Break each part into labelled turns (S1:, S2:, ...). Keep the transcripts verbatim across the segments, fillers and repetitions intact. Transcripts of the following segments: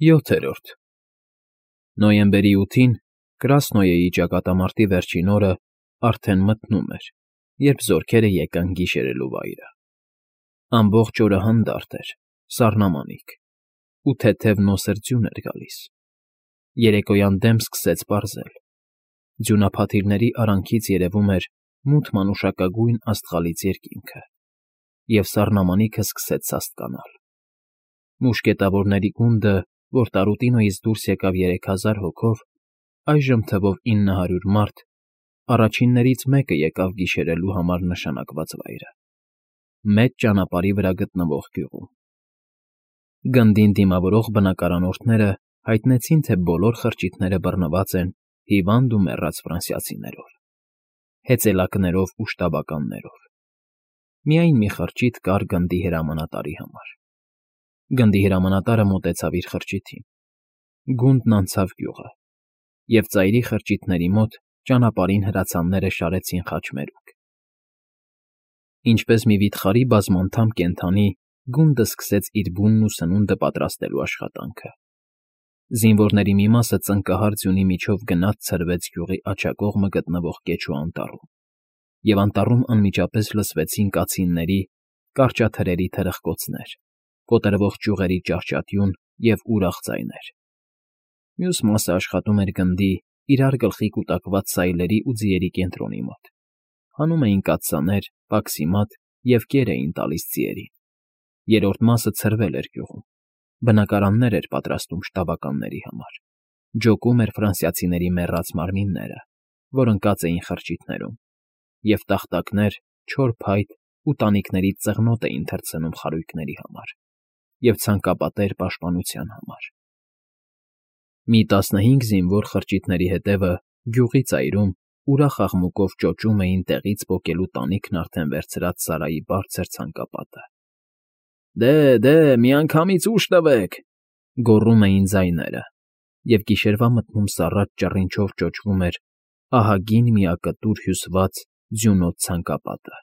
S1: ՅՈԹԵՐՈՐԴ Նոյեմբերի ութին Կրասնոյեի ճակատամարտի վերջին օրը արդեն մթնում էր, երբ զորքերը եկան գիշերելու վայրը. ամբողջ օրը հանդարտ էր, սառնամանիք, ու թեթև նոսր ձյուն էր գալիս. երեկոյան դեմ սկսեց պարզել, ձյունափաթիլների արանքից երևում էր մութ մանուշակագույն աստղալից երկինքը, և սառնամանիքը սկսեց սաստկանալ. Մուշկետավորների գունդը, որ Տարուտինոյից դուրս եկավ երեք հազար հոգով, այժմ թվով ինը հարյուր մարդ, առաջիններից մեկը եկավ գիշերելու համար նշանակված վայրը, մեծ ճանապարհի վրա գտնվող գյուղում. Գնդին դիմավորող բնակարանորդները հայտնեցին, թե բոլոր խրճիթները բռնված են հիվանդ ու մեռած ֆրանսիացիներով, հեծելակներով ու շտաբականներով. միայն մի խրճիթ կար գնդի հրամանատարի համար. Գնդի հրամանատարը մոտեցավ իր խրճիթին, գունդն անցավ գյուղը, և ծայրի խրճիթների մոտ ճանապարհին հրացանները շարեցին խաչմերուկ. Ինչպես մի վիթխարի բազմանդամ կենդանի, գունդը սկսեց իր բունն ու սնունդը պատրաստելու աշխատանքը. զինվորների մի մասը ծնկահար ձյունի միջով գնաց ցրվեց գյուղի աջակողմը գտնվող Կեչու անտառում, և անտառում անմիջապես լսվեցին կացինների, կարճաթրերի թրխկոցներ, կոտրվող ճյուղերի ճահճատյուն և ուրախ ձայներ. մյուս մասը աշխատում էր գնդի, իրար գլխի կուտակված սայլերի ու ձիերի կենտրոնի մոտ, հանում էին կաթսաներ, պաքսիմատ և կեր էին տալիս ձիերին. երրորդ մասը ցրվել էր գյուղում, բնակարաններ էր պատրաստում շտաբականների համար, ջոկում էր ֆրանսիացիների մեռած մարմինները, որ ընկած էին խրճիթներում, և տախտակներ, չոր փայտ ու տանիքներից ծղնոտ էին թռցնում խարույկների համար և ցանկապատեր պաշտպանության համար. Մի տասնհինգ զինվոր խրճիթների հետևը գյուղի ծայրում ուրախ աղմուկով ճոճում էին տեղից պոկելու տանիքն արդեն վերցրած Սարայի բարձր ցանկապատը. «Դե, դե, միանգամից ուժ տվեք», գոռում էին ձայները, և գիշերվա մթնում սառած ճռինչով ճոճվում էր ահագին միակտուր հյուսված ձյունոտ ցանկապատը,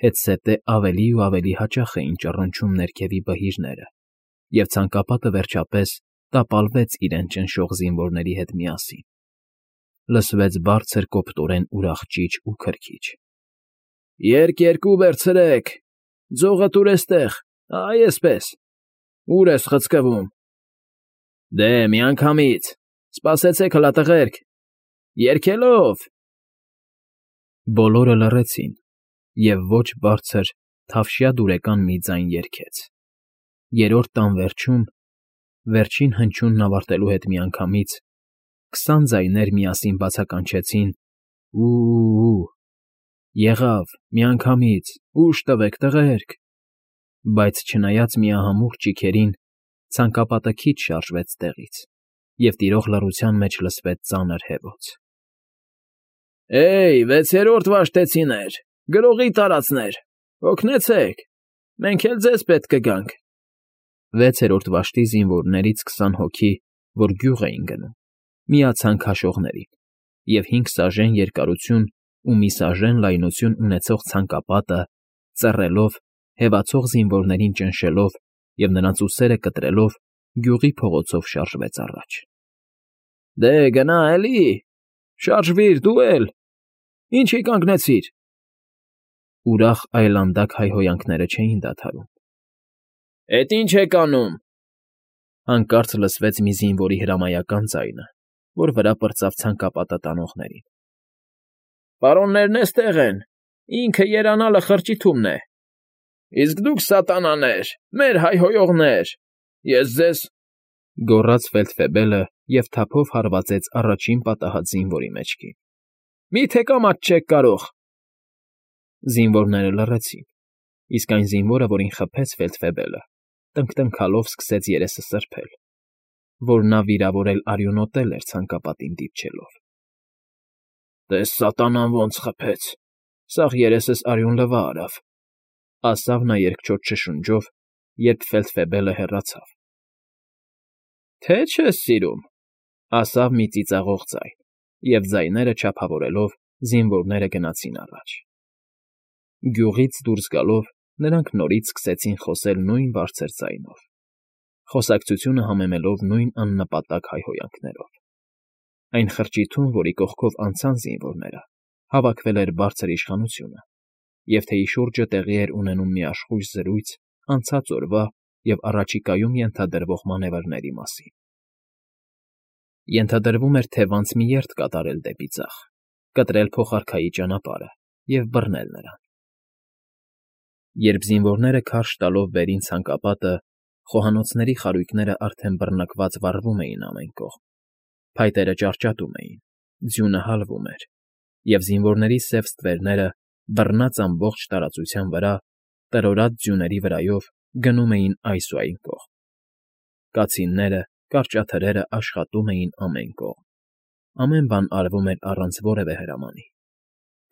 S1: հետզհետե ավելի ու ավելի հաճախ էին ճռնչում ներքևի բհիրները, և ցանկապատը վերջապես տապալվեց իրեն ճնշող զինվորների հետ միասին. լսվեց բարձր կոպտորեն ուրախ ճիչ ու քրքիջ. «Երկ երկու վերցրեք, ձողը տուր էստեղ, այ էսպես, ուր ես խցկվում, դե, միանգամից, սպասեցեք հլա, տղերք, երգելով»։ Բոլորը լռեցին, և ոչ բարձր, թավշյա դուրեկան մի ձայն երգեց. երրորդ տան վերջում, վերջին հնչյունն ավարտելու հետ միանգամից, քսան ձայներ միասին բացականչեցին. «Ու՜ւ, եղավ, միանգամից, ուժ տվեք, տղերք», բայց չնայած միահամուռ ճիգերին, ցանկապատը քիչ շարժվեց տեղից, և տիրող լռության մեջ լսվեց ծանր հևոց. «Հեյ, վեցերորդ վաշտեցիներ, գրողի տարածներ, հոգնեցեք, մենք էլ ձեզ պետք կգանք»։ Վեցերորդ վաշտի զինվորներից քսան հոգի, որ գյուղ էին գնում, միացան քաշողներին, և հինգ սաժեն երկարություն ու մի սաժեն լայնություն ունեցող ցանկապատը, ծռելով, հևացող զինվորներին ճնշելով և նրանց ուսերը կտրելով, գյուղի փողոցով շարժվեց առաջ. «Դե, գնա էլի, շարժվիր դու էլ, ինչի կանգնեցիր»։ Ուրախ այլանդակ հայհոյանքները չէին դադարում. «Էդ ի՞նչ եք անում»։ Հանկարծ լսվեց մի զինվորի հրամայական ձայնը, որ վրա պրծավ ցանկապատը տանողներին. «Պարոններն էստեղ են, ինքը երանալը խրճիթումն է, իսկ դուք, սատանաներ, մեր հայհոյողներ, ես ձեզ…»։ Գոռաց ֆելդֆեբելը և թափով հարվածեց առաջին պատահած զինվորի մեջքին. «Մի՞թե կամաց չեք կարող»։ Զինվորները լռեցին, իսկ այն զինվորը, որին խփեց ֆելդֆեբելը, տնկտնքալով սկսեց երեսը սրբել, որ նա վիրավորել արյունոտել էր ցանկապատին դիպչելով. «Տես սատանան ոնց խփեց, սաղ երեսս արյուն լվա արավ», ասավ նա երկչոտ շշունջով, երբ ֆելդֆեբելը հեռացավ։ «Թե չես սիրում», ասավ մի ծիծաղող ձայն, և ձայները չափավորելով զինվորները գնացին առաջ։ Գյուղից դուրս գալով՝ նրանք նորից սկսեցին խոսել նույն բարձր ձայնով, խոսակցությունը համեմելով նույն աննպատակ հայհոյանքներով։ Այն խրճիթում, որի կողքով անցան զինվորները, հավաքվել էր բարձր իշխանությունը, և թեյի շուրջը տեղի էր ունենում մի աշխույժ զրույց անցած օրվա և առաջիկայում ենթադրվող մանևրների մասին։ Ենթադրվում էր, թե վանց մի երթ կատարել դեպի ձախ, կտրել փոխարքայի ճանապարհը և բռնել նրան։ Երբ զինվորները քարշ տալով վերին ցանկապատը, խոհանոցների խարույկներն արդեն բռնկված վառվում էին ամեն կողմ, փայտերը ճարճատում էին, ձյունը հալվում էր, և զինվորների սև ստվերները, բռնած ամբողջ տարածության վրա, տրորած ձյուների վրայով գնում էին այս ու այն կողմ։ Կացինները, կարճաթրերը աշխատում էին ամեն կողմ, ամեն բան արվում էր առանց որևէ հրամանի,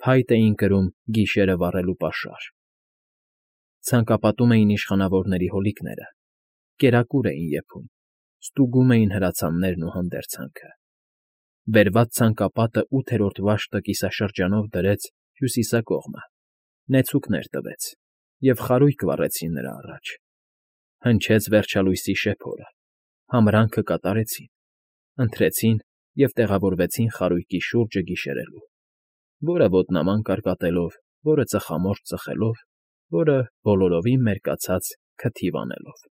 S1: փայտ էին կրում գիշերը վառելու պաշար։ Ցանկապատում էին իշխանավորների հոլիկները, կերակուր էին եփում, ստուգում էին հրացաններն ու հանդերձանքը։ Բերված ցանկապատը ութերորդ վայրկը կիսաշրջանով դրեց հյուսիսակողմը, նեցուկներ տվեց, և խարույկ վառեցին նրա առաջ։ Հնչեց վերջալույսի շեփորը, համրանքը կատարեցին, ընթրեցին և տեղավորվեցին խարույկի շուրջը գիշերելու, որը ոտնաման կարկատելով, որը ծխամորճ ծխելով, որը բոլորովին մերկացած քթիվ անելով։